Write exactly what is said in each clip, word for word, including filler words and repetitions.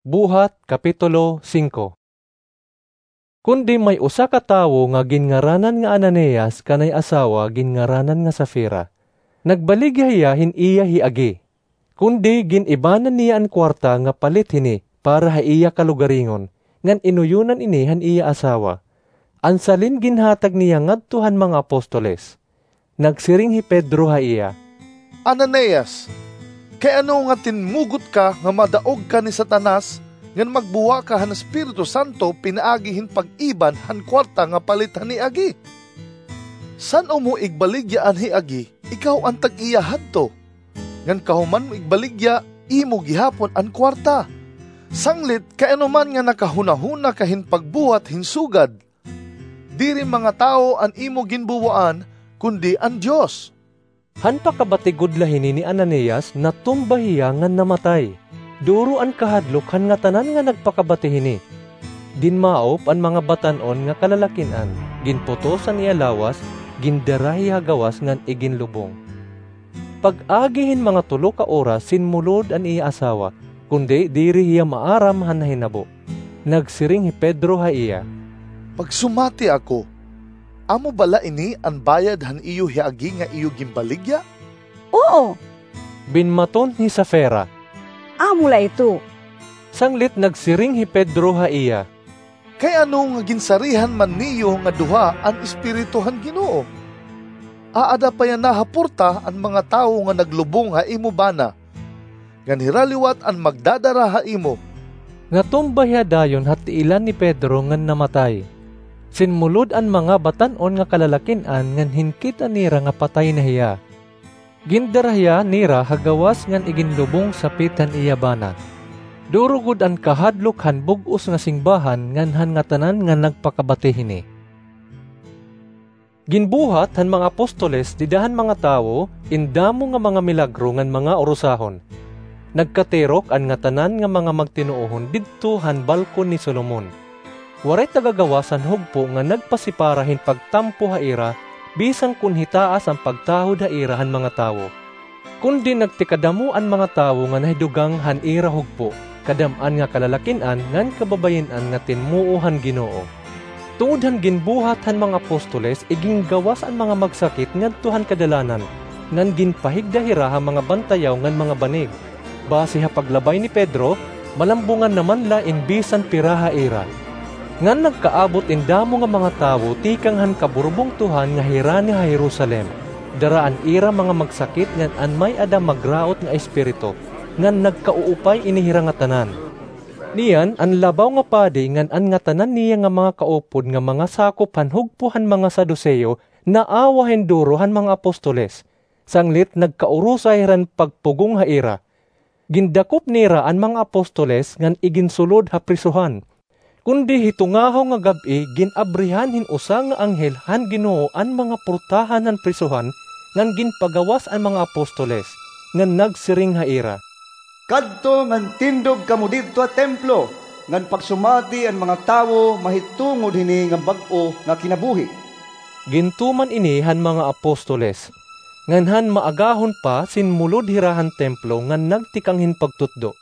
Buhat, Kapitulo singko. Kundi may usa ka tawo nga ginngaranan nga Ananias kanay asawa ginngaranan nga Safira. Nagbaligya hiya hin iya hiagi. Kundi gin-ibanan niya an kuwarta nga palit hini para ha iya kalugaringon, ngan inuyonan ini han iya asawa. An salin ginhatag niya ngadto han mga apostoles. Nagsiring hi Pedro ha iya, "Ananias, kay ano nga tinmugot ka nga madaog ka ni Satanas ngan magbuwa ka han Espiritu Santo pinaagi hin pag-iban han kuwarta nga palit han hiagi? San-o mo igbaligya an hiagi, ikaw an tag-iya hadto, ngan kahuman mo igbaligya, imo gihapon an kuwarta? Sanglit kay ano man nga nakahunahuna ka hin pagbuhat hin sugad? Diri mga tawo an imo ginbuwaan, kundi an Dios." Han pakabati gud la hini ni Ananias, natumba hiya ngan namatay. Duro an kahadlok han ngatanan nga nagpakabati hini. Ginmaop an mga batan-on nga kalalakin-an, ginputos an iya lawas, gindara hiya ha gawas ngan iginlubong. Pag-agi hin mga tulo ka oras, sinmulod an iya asawa, kundi diri hiya maaram han nahinabo. Nagsiring hi Pedro ha iya, "Pagsumati ako, amo bala ini an bayad han iyo hiagi nga iyo ginbaligya?" "Oo," binmaton hi Safira. "Amo la ito." Sanglit nagsiring hi Pedro ha iya, "Kay ano nga ginsarihan man niyo nga duha an Espiritu han Ginoo? Aada pa yana ha porta an mga tawo nga naglubong ha imo bana, ngan hira liwat an magdadara ha imo." Natumba hiya dayon ha tiilan ni Pedro ngan namatay. Sinmulod an mga batan-on nga kalalakin-an ngan hinkit-an nira nga patay na hiya. Gindara hiya nira ha gawas ngan iginlubong sapit han iya bana. Duro gud an kahadlok han bug-os nga singbahan ngan han ngatanan nga nagpakabati hini. Ginbuhat han mga apostoles dida han mga tawo in damo nga mga milagro ngan mga urusahon. Nagkatirok an ngatanan nga mga magtinuohon didto han balkon ni Solomon. Waray taga-gawas han hugpo nga nagpasipara hin pagtampo ha ira, bisan kon hitaas an pagtahod ha ira han mga tawo. Kundi nagtikadamo an mga tawo nga nahidugang han ira hugpo, kadam-an nga kalalakin-an ngan kababayin-an nga tinmuo han Ginoo. Tungod han ginbuhat han mga apostoles, iginggawas an mga magsakit ngadto han kadalanan, ngan ginpahigda hira ha mga bantayaw ngan mga banig. Basi ha paglabay ni Pedro, malambungan naman la in bisan pira ha ira. Ngan nagkaabot in damo nga mga tawo tikang han kaburbungtohan nga hirani ha Jerusalem. Dara an ira mga magsakit ngan an may-ada magraot nga espiritu, ngan nagkauupay ini hira ngatanan. Niyan, an labaw nga padi ngan an ngatanan niya nga mga kaupod nga mga sakop han hugpo han mga Saduseo naawa hin duro han mga apostoles. Sanglit nagkaurusay hiran pagpugong ha ira. Gindakop nira an mga apostoles ngan iginsulod ha prisohan. Kundi hitungahaw nga gab-i gin-abrihan hin usa nga anghel han Ginoo an mga portahan han prisohan ngan ginpagawas an mga apostoles, ngan nagsiring ha ira, "Kadto ngan tindog kamo didto ha templo ngan pagsumati an mga tawo mahitungod hini nga bag-o nga kinabuhi." Gintuman ini han mga apostoles. Ngan han maagahon pa, sinmulod hira han templo ngan nagtikang hin pagtutdo.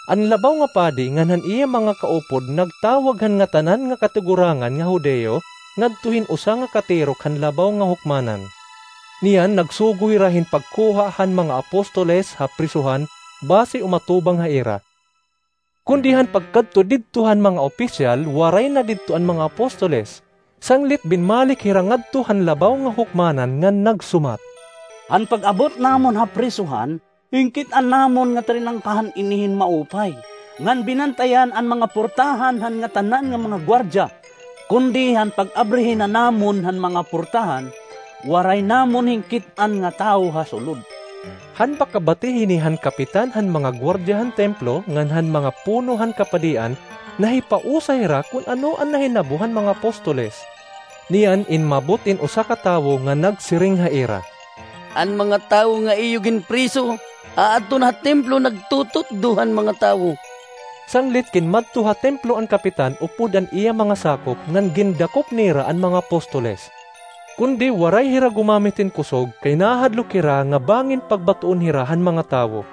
An labaw nga padi ngan han iya mga kaupod nagtawag han ngatanan nga katigurangan nga Judio ngadto hin usa nga katirok han labaw nga hukmanan. Niyan nagsugo hira hin pagkuha han mga apostoles ha prisohan basi umatubang ha ira. Kundi han pagkadto didto han mga opisyal, waray na didto an mga apostoles. Sanglit binmalik hira ngadto han labaw nga hukmanan ngan nagsumat, "Han pag-abot namon ha prisohan, hinkit-an namon nga trinangkahan ini hin maupay, ngan binantayan an mga portahan han ngatanan nga mga guardiya. Kundi han pag-abri hina namon han mga portahan, waray namon hinkit-an nga tawo ha sulod." Han pakabati hini han kapitan han mga guardiya han templo ngan han mga puno han kapadian, nahipausay hira kon ano an nahinabo han mga apostoles. Niyan inmabot in usa ka tawo nga nagsiring ha ira, "An mga tawo nga iyo ginpriso, aadto na ha templo nagtututdo han mga tawo." Sanglit kinmadto ha templo an kapitan upod an iya mga sakop ngan gindakop nira an mga apostoles. Kundi waray hira gumamit hin kusog kay nahadlok hira nga bangin pagbatoon hira han mga tawo.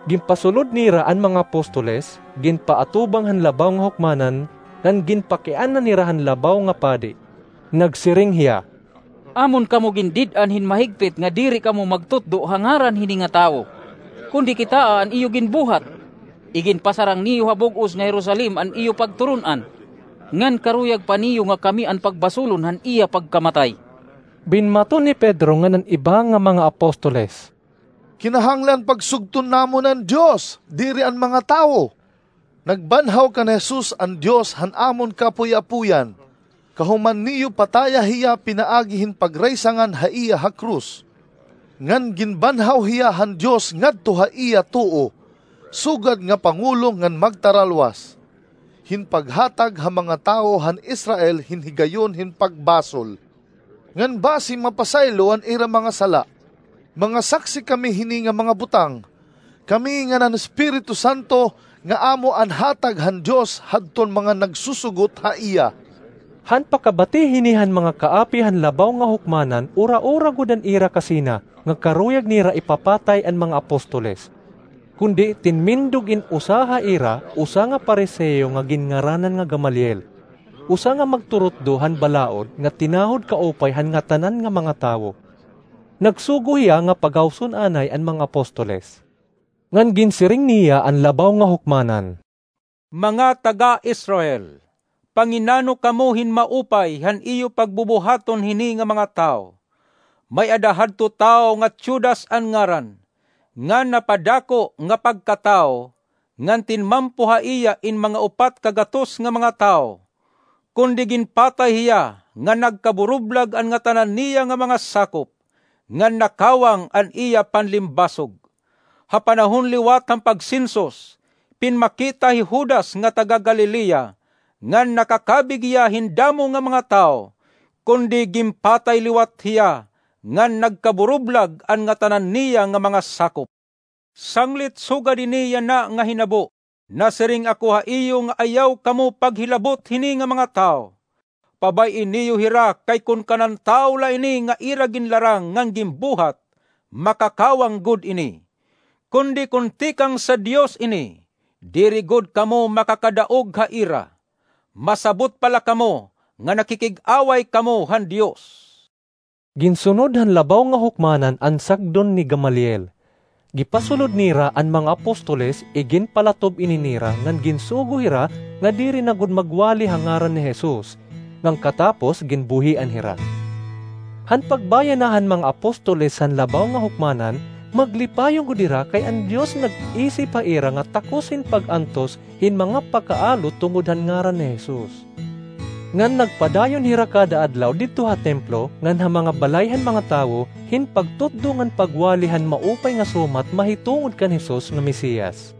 Ginpasulod nira an mga apostoles, ginpaatubang han Labaw nga Hukmanan, ngan ginpakiana nira han labaw nga padi. Nagsiring hiya, "Amon kamo gindid-an hin mahigpit nga diri kamo magtutdo ha ngaran hini nga tawo, kundi kitaa an iyo ginbuhat. Iginpasarang niyo ha bug-os nga Jerusalem an iyo pagturon-an, ngan karuyag pa niyo nga kami an pagbasulon han iya pagkamatay." Binmaton ni Pedro ngan an iba nga mga apostoles, "Kinahanglan pagsugton namon an Dios, diri an mga tawo. Nagbanhaw kan Jesus an Dios han amon kaapoy-apoyan. Kahuman niyo pataya hiya pinaagi hin pagraysangan ha iya ha krus. Ngan ginbanhaw hiya han Dios ngadto ha iya tuo, sugad nga pangulo ngan magtaralwas hin paghatag ha mga tawo han Israel hin higayon hin pagbasol, ngan basi mapasaylo an ira mga sala. Mga saksi kami hini nga mga butang, kami ngan an Espiritu Santo nga amo an hatag han Dios hadton mga nagsusugot ha iya." Han pakabati hini han mga kaapi han Labaw nga Hukmanan, ura-ura gud an ira kasina nga karuyag nira ipapatay an mga apostoles. Kundi tinmindog in usa ha ira, usa nga Fariseo nga ginngaranan nga Gamaliel, usa nga magturutdo han balaod nga tinahod kaupay han ngatanan nga mga tawo. Nagsugo hiya nga pagawson anay an mga apostoles. Ngan ginsiring niya an Labaw nga Hukmanan, "Mga taga-Israel, panginano kamo hin maupay han iyo pagbubuhaton hini nga mga tawo. May-ada hadto tawo nga Teudas an ngaran, nga napadako nga pagkatawo, ngan tinmampo ha iya in mga upat ka gatos nga mga tawo. Kundi ginpatay hiya, ngan nagkaburublag an ngatanan niya nga mga sakop, ngan nakawang an iya panlimbasog. Ha panahon liwat han pagsensus, pinmakita hi Judas nga taga-Galilea, ngan nakakabig hiya hin damo nga mga tawo, kundi ginpatay liwat hiya, ngan nagkaburublag an ngatanan niya nga mga sakop. Sanglit sugad hini yana nga hinabo, nasiring ako ha iyo nga ayaw kamo paghilabot hini nga mga tawo. Pabay-i niyo hira, kay kon kanan tawo la ini nga ira ginlarang ngan ginbuhat, makakawang gud ini. Kundi kon tikang sa Dios ini, diri gud kamo makakadaog ha ira. Masabot pa la kamo nga nakikig-away kamo han Dios." Ginsunod han Labaw nga Hukmanan an sagdon ni Gamaliel. Gipasulod nira an mga apostoles, iginpalatob ini nira ngan ginsugo hira nga diri na gud magwali ha ngaran ni Jesus, ngan katapos ginbuhian hira. Han pagbaya na han mga apostoles han Labaw nga Hukmanan, maglipayon gud hira kay an Dios nag-isip ha ira nga takos hin pag-antos hin mga pakaalo tungod han ngaran ni Jesus. Ngan nagpadayon hira kada adlaw didto ha templo ngan ha mga balay han mga tawo hin pagtutdo ngan pagwali han Maupay nga Sumat mahitungod kan Jesus nga Mesiyas.